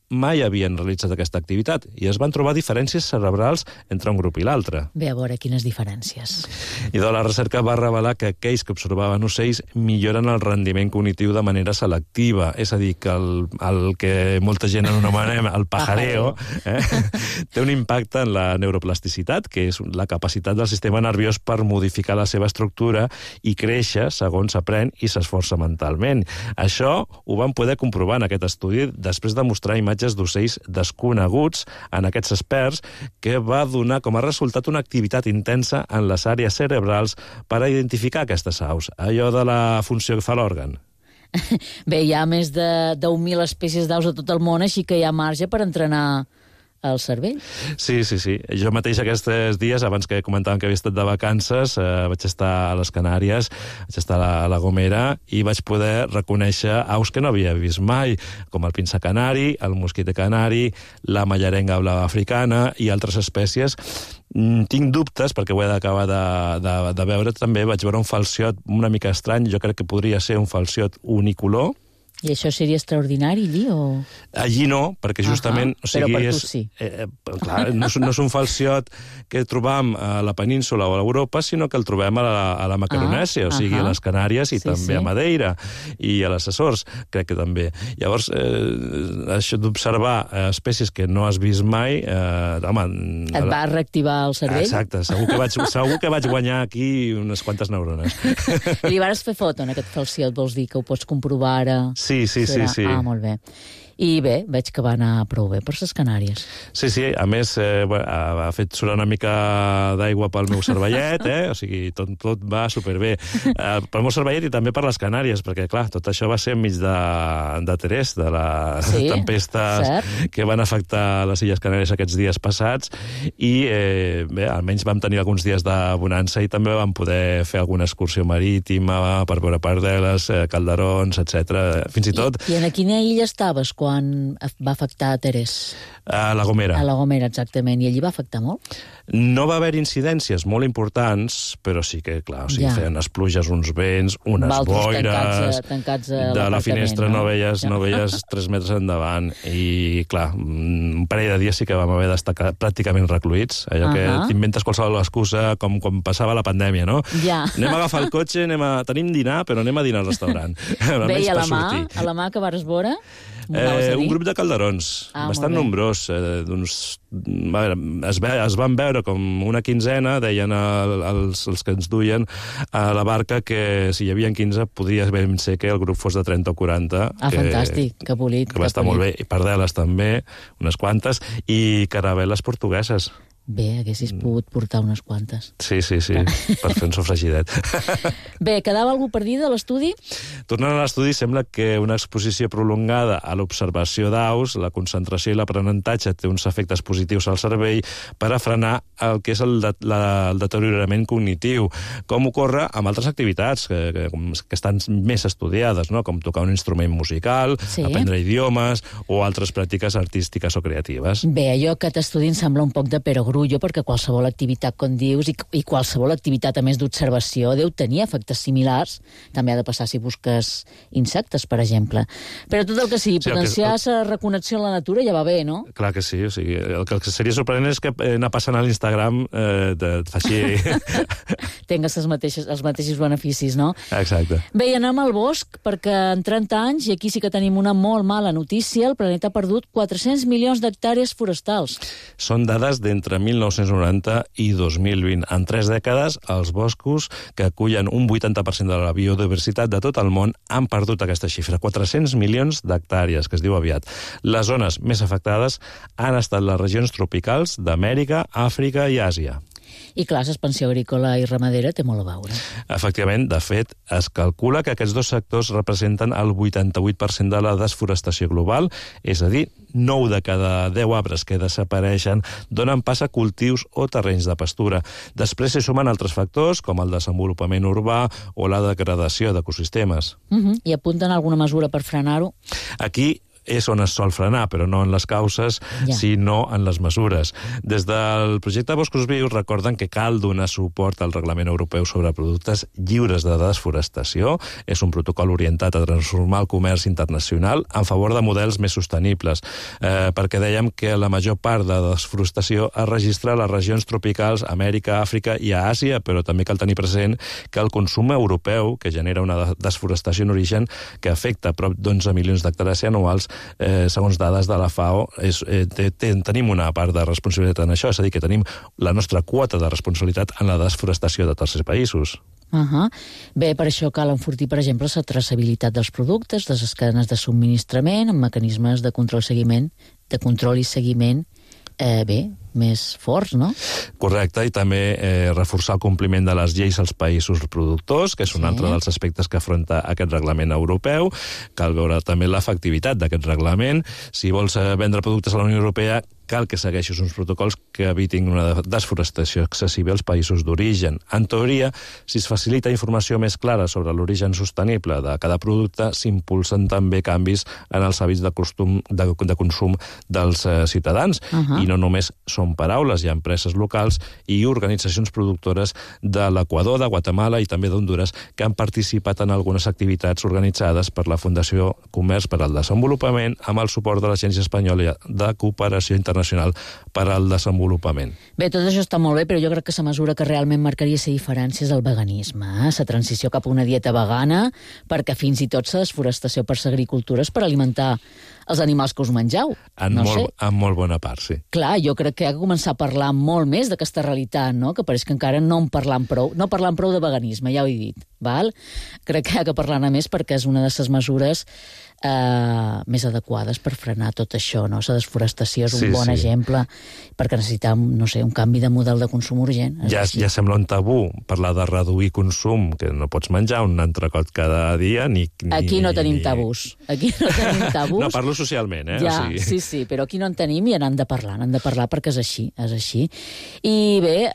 mai havien realitzat aquesta activitat i es van trobar diferències cerebrals entre un grup i l'altre. Bé, a veure quines diferències. I la recerca va revelar que aquells que observaven ocells milloren el rendiment cognitiu de manera selectiva, és a dir, que el que molta gent anomenem el pajareo té un impacte en la neuroplasticitat, que és la capacitat del sistema nerviós per modificar la seva estructura i créixer segons s'aprèn i s'esforça mentalment. Això ho van poder comprovar en aquest estudi després de mostrar imatges d'ocells desconeguts en aquests experts, que va donar com a resultat una activitat intensa en les àrees cerebrals per a identificar aquestes aus, allò de la funció que fa l'òrgan. Bé, hi ha més de 10.000 espècies d'aus a tot el món, així que hi ha marge per entrenar el cervell. Sí. Jo mateix aquests dies, abans que comentàvem que havia estat de vacances, vaig estar a les Canàries, vaig estar a la Gomera i vaig poder reconèixer aus que no havia vist mai, com el pince canari, el mosquiter canari, la mallarenga blava africana i altres espècies. Tinc dubtes, perquè ho he d'acabar de veure també. Vaig veure un falciot una mica estrany, jo crec que podria ser un falciot unicolor. I això seria extraordinari, allí, o...? Allí no, perquè justament... Però per tu sí. Clar, no és un falciot que trobam a la península o a l'Europa, sinó que el trobem a la Macaronèsia, o sigui, a les Canàries i també a Madeira, i a les Açores, crec que també. Llavors, això d'observar espècies que no has vist mai... Et va reactivar el cervell? Exacte, segur que vaig guanyar aquí unes quantes neurones. Li vas fer foto en aquest falciot, vols dir, que ho pots comprovar ara? Sí. Ah, molt bé. I bé, veig que va anar prou bé per les Canàries. Sí, a més, ha fet surar una mica d'aigua pel meu cervellet, o sigui, tot va superbé. Pel meu cervellet i també per les Canàries, perquè, clar, tot això va ser enmig de Terès, de les tempestes que van afectar les Illes Canàries aquests dies passats, i bé, almenys vam tenir alguns dies de bonança i també vam poder fer alguna excursió marítima per veure pardeles, calderons, etc. Fins i tot... I en quina illa estaves quan va afectar a Terès? A la Gomera. A la Gomera, exactament. I allí va afectar molt? No va haver incidències molt importants, però sí que, clar, feien unes pluges, uns vents, unes boires... tancats de la finestra no veies 3 metres endavant. I, clar, un parell de dies sí que vam haver d'estar pràcticament recluïts. Allò que t'inventes qualsevol excusa, com quan passava la pandèmia, no? Anem a agafar el cotxe, tenim dinar, però anem a dinar al restaurant. Bé, i a la mà que vares veure? Un grup de calderons, bastant nombrós. Es van veure com una quinzena, deien els que ens duien a la barca que si hi havia 15 podria ben ser que el grup fos de 30 o 40. Fantàstic, que polit. Que va estar molt bé. I pardeles també, unes quantes, i caravel·les portugueses. Bé, haguessis pogut portar unes quantes. Sí, per fer un sofregidet. Bé, quedava algú per dir de l'estudi? Tornant a l'estudi, sembla que una exposició prolongada a l'observació d'aus, la concentració i l'aprenentatge té uns efectes positius al cervell per a frenar el que és el deteriorament cognitiu, com ocorre amb altres activitats que estan més estudiades, no? Com tocar un instrument musical, aprendre idiomes o altres pràctiques artístiques o creatives. Bé, allò que t'estudi em sembla un poc de perogrullo, perquè qualsevol activitat, com dius, i qualsevol activitat, a més d'observació, deu tenir efectes similars. També ha de passar si busques insectes, per exemple. Però tot el que sigui, potenciar la reconnexió amb la natura ja va bé, no? Clar que sí. O sigui, el que seria sorprenent és que anar passant a l'Instagram faci... Tingues els mateixos beneficis, no? Exacte. Bé, i anem al bosc, perquè en 30 anys, i aquí sí que tenim una molt mala notícia, el planeta ha perdut 400 milions d'hectàrees forestals. Són dades d'entre 1990 i 2020. En 3 dècades, els boscos, que acullen un 80% de la biodiversitat de tot el món, han perdut aquesta xifra, 400 milions d'hectàrees, que es diu aviat. Les zones més afectades han estat les regions tropicals d'Amèrica, Àfrica i Àsia. I clar, l'expansió agrícola i ramadera té molt a veure. Efectivament, de fet, es calcula que aquests dos sectors representen el 88% de la desforestació global, és a dir, 9 de cada 10 arbres que desapareixen donen pas a cultius o terrenys de pastura. Després s'hi sumen altres factors, com el desenvolupament urbà o la degradació d'ecosistemes. I apunten alguna mesura per frenar-ho? Aquí és on es sol frenar, però no en les causes, sinó en les mesures. Des del projecte Boscos Vius recorden que cal donar suport al Reglament Europeu sobre productes lliures de desforestació. És un protocol orientat a transformar el comerç internacional en favor de models més sostenibles, perquè dèiem que la major part de desforestació es registra a les regions tropicals, Amèrica, Àfrica i a Àsia, però també cal tenir present que el consum europeu, que genera una desforestació en origen que afecta prop d'11 milions d'hectàrees anuals, segons dades de la FAO, tenim una part de responsabilitat en això, és a dir, que tenim la nostra quota de responsabilitat en la desforestació de tercers països. Bé, per això cal enfortir, per exemple, la traçabilitat dels productes, de les cadenes de subministrament, amb mecanismes de control i seguiment més forts, no? Correcte, i també reforçar el compliment de les lleis als països productors, que és un altre dels aspectes que afronta aquest reglament europeu. Cal veure també l'efectivitat d'aquest reglament. Si vols vendre productes a la Unió Europea, cal que segueixis uns protocols que evitin una desforestació excessiva als països d'origen. En teoria, si es facilita informació més clara sobre l'origen sostenible de cada producte, s'impulsen també canvis en els hàbits de consum dels ciutadans. I no només són paraules, hi ha empreses locals i organitzacions productores de l'Equador, de Guatemala i també d'Honduras que han participat en algunes activitats organitzades per la Fundació Comerç per al Desenvolupament amb el suport de l'Agència Espanyola de Cooperació Internacional per al Desenvolupament. Bé, tot això està molt bé, però jo crec que la mesura que realment marcaria la diferència és el veganisme, la transició cap a una dieta vegana, perquè fins i tot la desforestació per l'agricultura és per alimentar els animals que us mengeu. En molt bona part, sí. Clar, jo crec que hi ha que començar a parlar molt més d'aquesta realitat, no? Que pareix que encara no en parlam prou. No parlam prou de veganisme, ja ho he dit. Val? Crec que hi ha que parlar-ne més perquè és una de les mesures més adequades per frenar tot això, no? La desforestació és un bon exemple perquè necessitem, no sé, un canvi de model de consum urgent. Ja sembla un tabú parlar de reduir consum, que no pots menjar un entrecot cada dia, Aquí no tenim tabús. Aquí no tenim tabús. No, parlo socialment, Ja, sí, però aquí no en tenim i n'han de parlar perquè és així. I bé,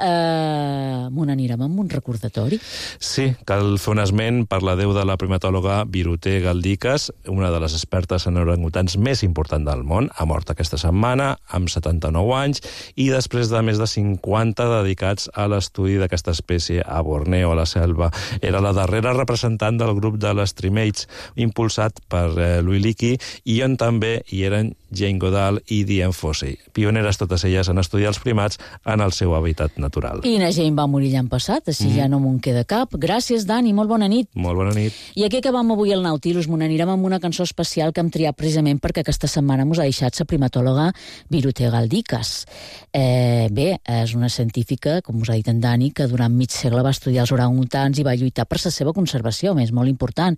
m'ho n'anirem amb un recordatori. Sí, cal fer un esment per la déu de la primatòloga Viruté Galdicas, una de les expertes en orangutans més important del món, ha mort aquesta setmana, amb 79 anys, i després de més de 50 dedicats a l'estudi d'aquesta espècie a Borneo, a la selva. Era la darrera representant del grup de les Trimates, impulsat per Louis Leakey, i on també hi eren Jane Goodall i Diane Fossey, pioneres totes elles en estudiar els primats en el seu hàbitat natural. I na Jane va morir l'any passat, així ja no m'ho queda cap. Gràcies, Dani, molt bona nit. Molt bona nit. I aquí acabam avui el Nautilus, m'ho n'anirem amb una cançó especial que hem triat precisament perquè aquesta setmana mos ha deixat la primatòloga Viruté Galdicas. Bé, és una científica, com us ha dit en Dani, que durant mig segle va estudiar els orangutans i va lluitar per la seva conservació, més molt important.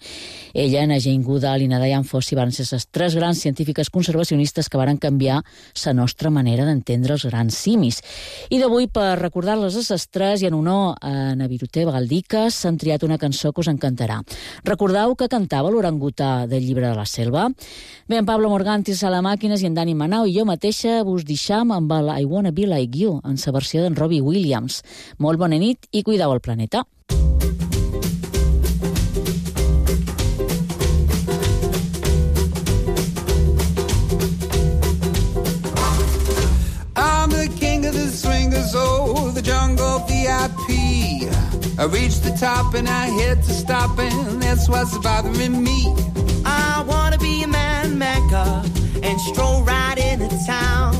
Ella, na Jane Goodall i na Diane Fossey van ser les 3 grans científiques conservacionistes que varen canviar la nostra manera d'entendre els grans simis. I d'avui, per recordar-les a les 3 i en honor a na Viruté Galdicas, s'han triat una cançó que us encantarà. Recordeu que cantava l'orangutà del llibre de la selva? Bé, en Pablo Morgantis a la màquines i en Dani Manau i jo mateixa vos deixam amb el I Wanna Be Like You, en la versió d'en Robbie Williams. Molt bona nit i cuideu el planeta. I'm the king of the swingers, oh, the jungle VIP. I reached the top and I hit to stop, and that's what's bothering me. I wanna be a man maker and stroll right into town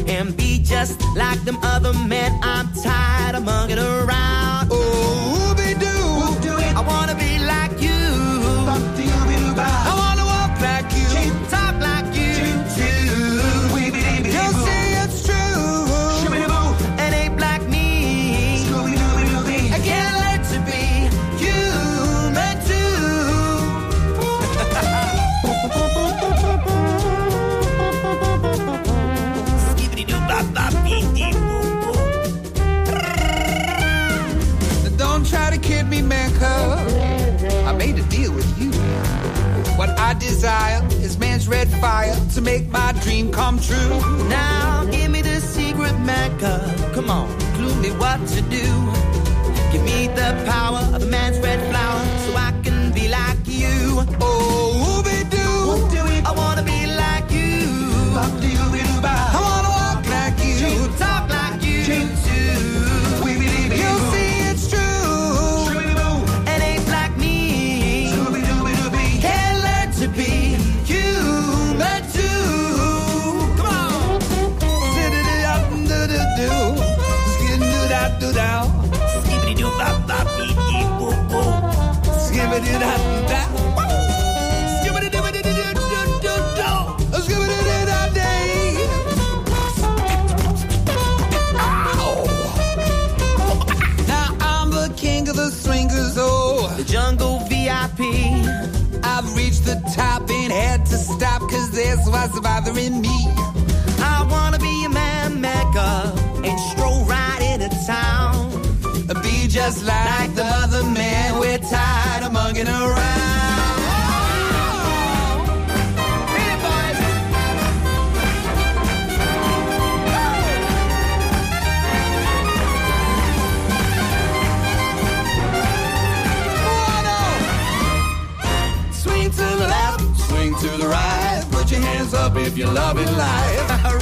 and be just like them other men. I'm tired of mugging around. Oh, whoopie-doo, I wanna be like you. I wanna walk like you, talk like you too. You'll see it's true, and ape like me. I can't let you be human too. Skibbity-doo-bop-bop-dee-dee-boo-boo. I desire is man's red fire to make my dream come true. Now give me the secret Mecca. Come on, clue me what to do. Give me the power of a man's red flower so I can be like you. Oh, Ooby-Doo, I wanna be like you. I wanna walk like you, talk like you too. You'll see it's true. It ain't like me. Can't learn to be human too. Come on. Do-do-do-do-do-do. Skid-do-da-do-dow. Skibbity-doo-bop-bop-bee-dee-boo-boo. Skibbity-da-da-da. The jungle VIP. I've reached the top and had to stop cause this was bothering me. I wanna be a man Mecca and stroll right into town. Be just like the other man, we're tired of mugging around. To the right, put your hands up if you're loving life. I'm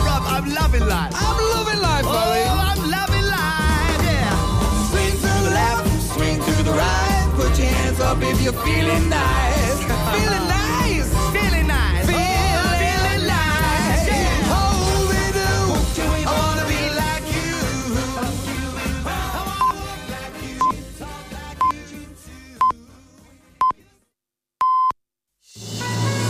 loving life. I'm loving life, buddy. Oh, I'm loving life, yeah. Swing to the left, swing to the right. Put your hands up if you're feeling nice. Feeling nice.